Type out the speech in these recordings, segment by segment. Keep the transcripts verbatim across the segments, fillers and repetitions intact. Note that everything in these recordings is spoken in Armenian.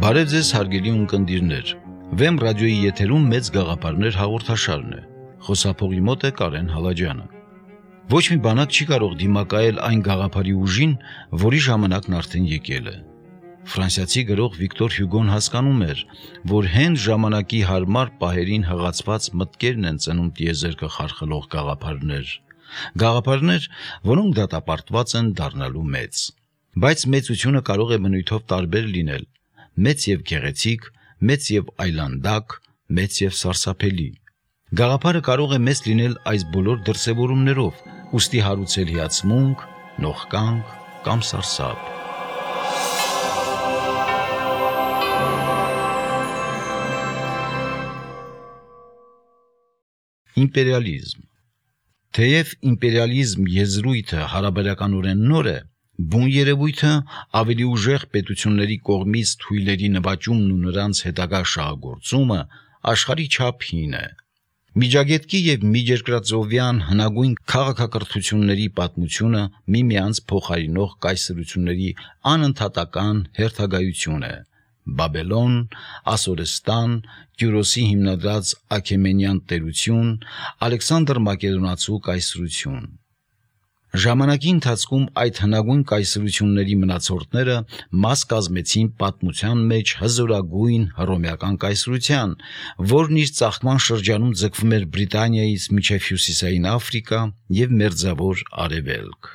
Բարև ձեզ հարգելի ունկնդիրներ, Վեմ ռադիոյի եթերում մեծ գաղափարներ հաղորդաշարն է, խոսափողի մոտ է Կարեն Հալաջյանը։ Ոչ մի բանակ չի կարող դիմակայել այն գաղափարի ուժին, որի ժամանակն արդեն եկել է։ Ֆրանսիացի գրող Վիկտոր Հյուգոն հասկանում էր, որ հենց ժամանակի հարմար պահերին հղացված մտքերն են ծնում տիեզերքը խարխլող գաղափարներ, գաղափարներ, որոնք դատապարտված են դառնալու մեծ։ Բայց մեծությունը կարող է բնույթով տարբեր լինել, մեծ եւ գեղեցիկ, մեծ եւ այլանդակ, մեծ եւ սարսափելի։ Գաղափարը կարող է մեծ լինել այս բոլոր դրսևորումներով, ուստի հարուցել հիացմունք, նողկանք կամ սարսափ։ Իմպերիալիզմ։ Թեև իմպերիալիզմ եզրույթը հարաբերականորեն նոր է, բուն երևույթը ավելի ուժեղ պետությունների կողմից թույլերի նվաճումն ու նրանց հետագա շահագործումը աշխարհի չափ հին է։ Միջագետքի եւ միջերկրածովյան հնագույն քաղաքակրթությունների պատմությունը միմյանց փոխարինող կայսրությունների անընդհատական հերթագայություն է։ Բաբելոն, Ասորստան, Կյուրոսի հիմնադրած Աքեմենյան տերություն, Ալեքսանդր Մակեդոնացու կայսրություն։ Ժամանակի ընթացքում այդ հնագույն կայսրությունների մնացորդները մաս կազմեցին պատմության մեջ հզորագույն հռոմեական կայսրության, որն իր ծաղկման շրջանում ձգվում էր Բրիտանիայից մինչև Հյուսիսային Աֆրիկա եւ Մերձավոր Արևելք։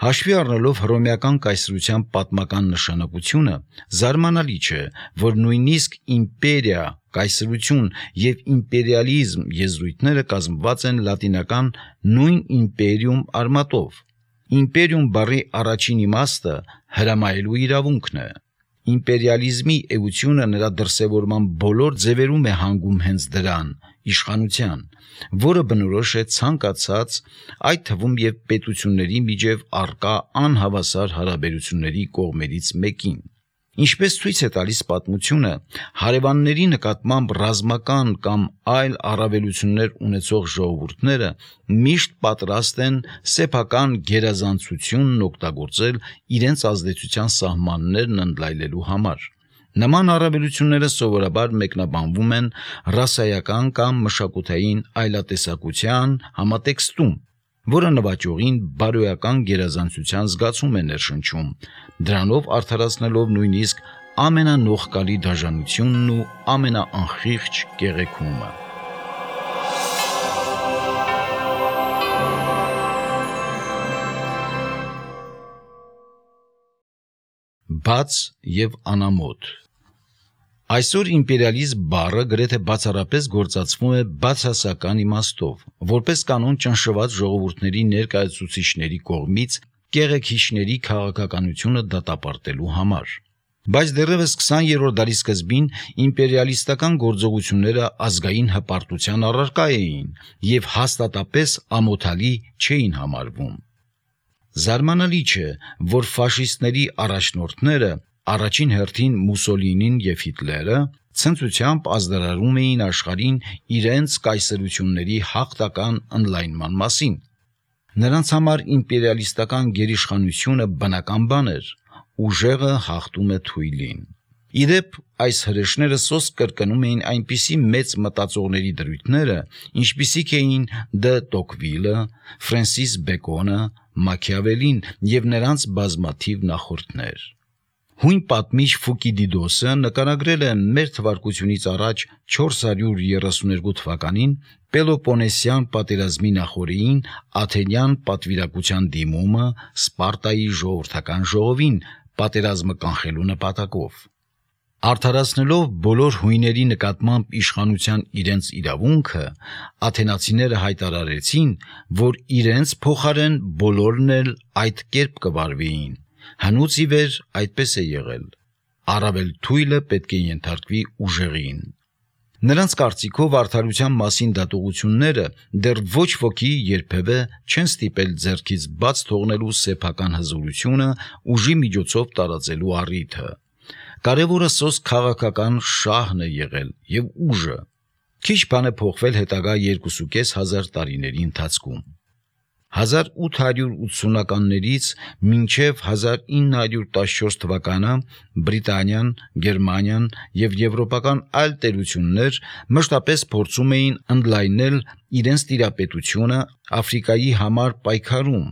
Հաշվի առնելով հռոմեական կայսրության պատմական նշանակությունը, զարմանալի չէ, որ նույնիսկ իմպերիա, կայսրություն եւ իմպերիալիզմ եզրույթները կազմված են լատինական նույն իմպերիում արմատով։ Իմպերիում բառի առաջին իմաստը հրամայելու իրավունքն է։ Իմպերիալիզմի էությունը նրա դրսևորման բոլոր ձևերում է հանգում հենց դրան՝ իշխանության, որը բնորոշ է ցանկացած, այդ թվում եւ պետությունների միջև առկա անհավասար հարաբերությունների կողմերից մեկին։ Ինչպես ցույց է տալիս պատմությունը, հարևանների նկատմամբ ռազմական կամ այլ առավելություններ ունեցող ժողովուրդները միշտ պատրաստ են սեփական գերազանցությունն օգտագործել իրենց ազդեցության սահմաններն ընդլայնելու համար։ Նման առավելությունները սովորաբար մեկնաբանվում են ռասայական կամ մշակութային այլատեսակության համատեքստում, որը նվաճողին բարոյական գերազանցության զգացում է ներշնչում, դրանով արդարացնելով նույնիսկ ամենանողկալի դաժանությունն ու ամենաանխիղճ կեղեքումը։ Բաց եւ անամոթ։ Այսօր իմպերիալիզմ բառը գրեթե բացառապես գործածվում է բացասական իմաստով, որպես կանոն ճնշված ժողովուրդների ներկայացուցիչների կողմից կեղեքիչների քաղաքականությունը դատապարտելու համար։ Բայց դեռևս քսաներորդ դարի սկզբին իմպերիալիստական գործողությունները ազգային հպարտության առարկա էին եւ հաստատապես ամոթալի չէին համարվում։ Զարմանալի չէ, որ ֆաշիստների առաջնորդները, առաջին հերթին Մուսոլինին եւ Հիտլերը, ցնծությամբ ազդարարում էին աշխարհին իրենց կայսրությունների հաղթական ընդլայնման մասին։ Նրանց համար իմպերիալիստական գերիշխանությունը բնական բան էր, ուժեղը հաղթում է թույլին։ Իդեպ այս հրեշները սոսկ կրկնում էին այնպիսի մեծ մտածողների դրույթները, ինչպիսիք էին Դը Տոկվիլը, Ֆրենսիս Բեկոնը, Մաքիավելին եւ նրանց բազմաթիվ նախորդներ։ Հույն պատմիչ Ֆուկիդիդոսը նկարագրել է մեր թվարկությունից առաջ չորս հարյուր երեսուներկու թվականին Պելոպոնեսյան պատերազմի նախօրեին Աթենյան պատվիրակության դիմումը Սպարտայի ժողովրդական ժողովին պատերազմը կանխելու նպատակով։ Արդարացնելով բոլոր հույների նկատմամբ իշխանության իրենց իրավունքը, աթենացիները հայտարարեցին, որ իրենց փոխարեն բոլորն էլ այդ կերպ կվարվեին։ Հնուց ի վեր այդպես է եղել։ Առավել թույլը պետք է ենթարկվի ուժեղին։ Նրանց կարծիքով արդարության մասին դատողությունները դեռ ոչ ոքի երբևէ չեն ստիպել ձեռքից բաց թողնելու սեփական հզորությունը ուժի միջոցով տարածելու առիթը։ Կարևորը սոսկ քաղաքական շահն է եղել եւ ուժը։ Քիչ բան է փոխվել հետագա երկուսուկես հազար տարիների ընթացքում։ հազար ութ հարյուր ութսունականներից մինչև հազար ինը հարյուր տասնչորս թվականը Բրիտանիան, Գերմանիան և եվրոպական այլ տերություններ մշտապես փորձում էին ընդլայնել իրենց տիրապետությունը Աֆրիկայի համար պայքարում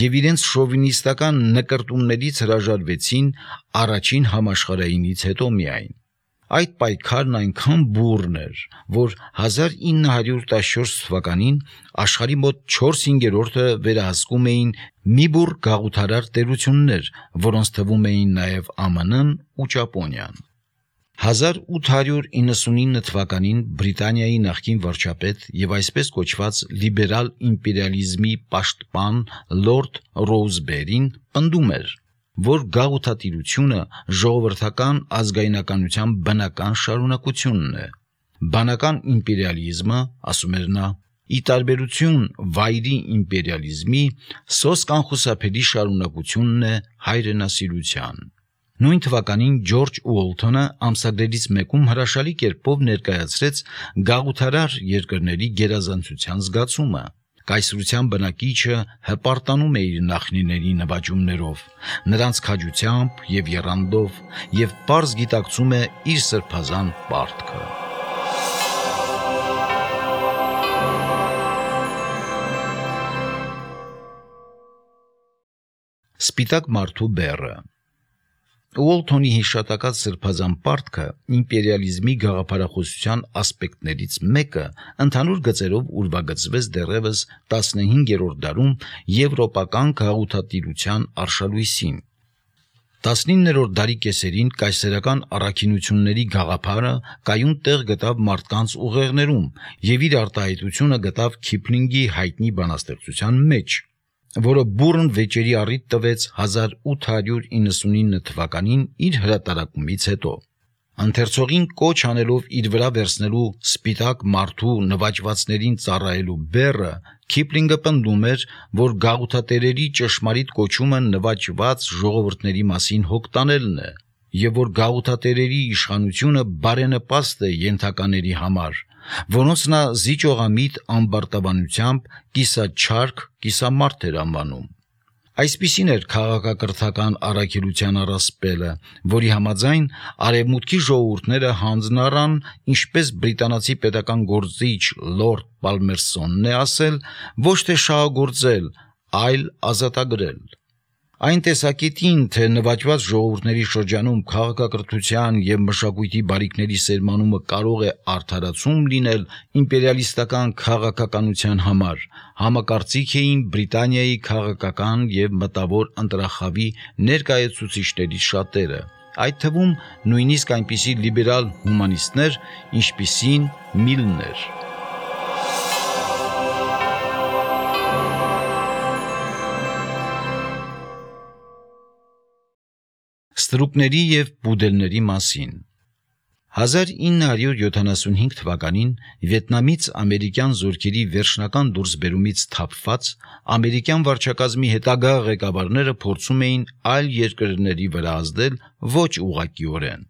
և իրենց շովինիստական նկրտումներից հրաժարվեցին առաջին համաշխարհայինից հետո միայն։ Այդ պայքարն այնքան բուռն էր, որ հազար ինը հարյուր տասնչորս թվականին աշխարհի մոտ չորս հինգերորդը վերահսկում էին մի բուռ գաղութարար տերություններ, որոնց թվում էին նաև Α M N-ն ու Ճապոնիան։ հազար ութ հարյուր իննսունինը թվականին Բրիտանիայի նախկին վարչապետ և այսպես կոչված լիբերալ իմպերիալիզմի պաշտպան լորդ Ռոուզբերին պնդում էր, որ գաղութատիրությունը ժողովրդական ազգայնականության բնական շարունակությունն է։ Բանական իմպերիալիզմը, ասում էր նա, ի տարբերություն վայրի իմպերիալիզմի, սոսկ անխուսափելի շարունակությունն է հայրենասիրության։ Նույն թվականին Ջորջ Ուոլթոնը ամսագրերից մեկում հրաշալի կերպով ներկայացրեց գաղութարար երկրների գերազանցության զգացումը։ Կայսրության բնակիչը հպարտանում է իր նախնիների նվաճումներով, նրանց քաջությամբ և եռանդով և պարզ գիտակցում է իր սրբազան պարտքը։ Սպիտակ մարդու բեռը։ Ուոլթոնի հիշատակած սրբազան պարտքը իմպերիալիզմի գաղափարախոսության ասպեկտներից մեկը ընդհանուր գծերով ուրվագծվեց դեռևս տասնհինգերորդ դարում եվրոպական գաղութատիրության արշալույսին։ տասնիններորդ դարի կեսերին կայսերական առաքինությունների գաղափարը կայուն տեղ գտավ մարդկանց ուղեղներում և իր արտահայտությունը գտավ Քիփլինգի հայտնի բանաստեղծության մեջ, որը բուռն վեճերի առիթ տվեց հազար ութ հարյուր իննսունինը թվականին իր հրատարակումից հետո։ Ընթերցողին կոչ անելով իր վրա վերցնելու սպիտակ մարդու նվաճվածներին ծառայելու բեռը, Քիփլինգը պնդում էր, որ գաղութատերերի ճշմարիտ կոչումը նվաճված ժողովուրդների մասին հոգ տանելն է, և որ գաղութատերերի իշխանությունը բարենպաստ է ենթակաների համար, որոնց նա զիջողամիտ ամբարտավանությամբ կիսաչարք կիսամարդ էր անվանում։ Այսպիսին էր քաղաքակրթական առաքելության առասպելը, որի համաձայն արևմուտքի ժողովուրդները հանձն առան, ինչպես բրիտանացի պետական գործիչ լորդ Պալմերստոնն է ասել, ոչ թե շահագործել, այլ ազատագրել։ Այն տեսակետին, թե նվաճված ժողովուրդների շրջանում քաղաքակրթության և մշակույթի բարիքների սերմանումը կարող է արդարացում լինել իմպերիալիստական քաղաքականության համար, համակարծիք էին Բրիտանիայի քաղաքական և մտավոր ընտրախավի ներկայացուցիչներից շատերը, այդ թվում նույնիսկ այնպիսի լիբերալ հումանիստներ, ինչպիսին Միլն էր։ Ստրուկների և պուդելների մասին։ հազար ինը հարյուր յոթանասունհինգ թվականին Վիետնամից ամերիկյան զորքերի վերջնական դուրսբերումից թափված ամերիկյան վարչակազմի հետագա ղեկավարները փորձում էին այլ երկրների վրա ազդել ոչ ուղղակիորեն։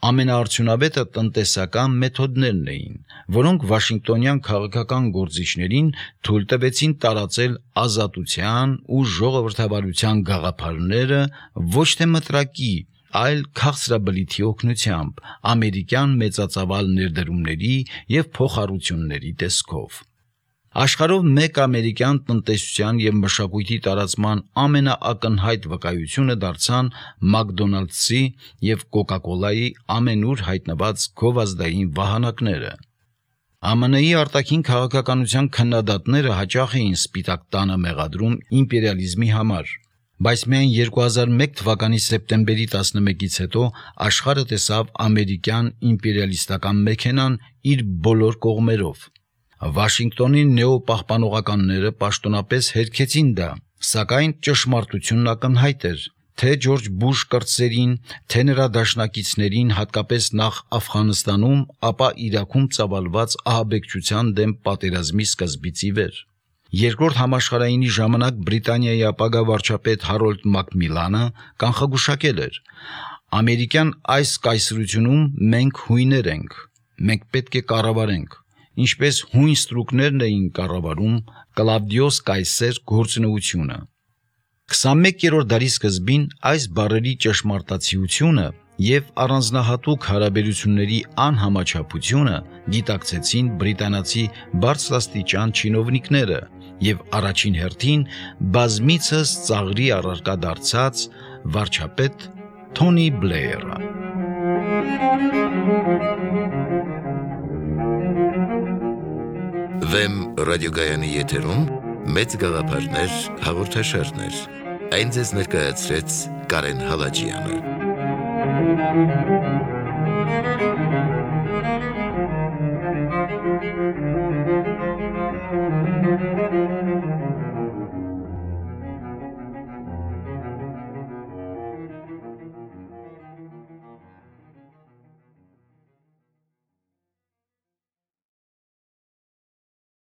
Ամենաարդյունավետը տնտեսական մեթոդներն էին, որոնք վաշինգտոնյան քաղաքական գործիչներին թույլ տվեցին տարածել ազատության ու ժողովրդավարության գաղափարները ոչ թե մտրակի, այլ քաղցրաբլիթի օգնությամբ, ամերիկյան մեծածավալ ներդրումների և փոխառությունների տեսքով։ Աշխարհով մեկ ամերիկյան տնտեսության և մշակույթի տարածման ամենաակնհայտ վկայությունը դարձան Մակդոնալդսի և Կոկա-Կոլայի ամենուր հայտնված գովազդային վահանակները։ Ամերիկայի Միացյալ Նահանգների արտաքին քաղաքականության քննադատները հաճախ էին Սպիտակ տանը մեղադրում իմպերիալիզմի համար, բայց միայն երկու հազար մեկ թվականի սեպտեմբերի տասնմեկից հետո աշխարհը տեսավ ամերիկյան իմպերիալիստական մեքենան իր բոլոր կողմերով։ Վաշինգտոնի նեոպահպանողականները պաշտոնապես հերքեցին դա, սակայն ճշմարտությունն ակնհայտ էր, թե Ջորջ Բուշ կրտսերին, թե նրա դաշնակիցներին, հատկապես նախ Աֆղանստանում, ապա Իրաքում ծավալված ահաբեկչության դեմ պատերազմի սկզբից ի վեր։ Երկրորդ համաշխարհայինի ժամանակ Բրիտանիայի ապագա վարչապետ Հարոլդ Մակմիլանը կանխագուշակել էր. ամերիկյան այս կայսրությունում մենք հույներ ենք, մենք պետք է կառավարենք, ինչպես հույն ստրուկներն էին կառավարում Կլավդիոս Կայսեր գործունեությունը։ քսանմեկերորդ դարի սկզբին այս բառերի ճշմարտացիությունը և առանձնահատուկ հարաբերությունների անհամաչափությունը գիտակցեցին բրիտանացի բարձրաստիճան չինովնիկները և առաջին հերթին բազմիցս ծաղրի առարկա դարձած վարչապետ Թոնի Բլեյերը։ Վեմ ռադիոգայանի եթերում մեծ գաղափարներ հաղորդաշարներ։ Այն ձեզ ներկայացրեց Կարեն Հալաջյանը։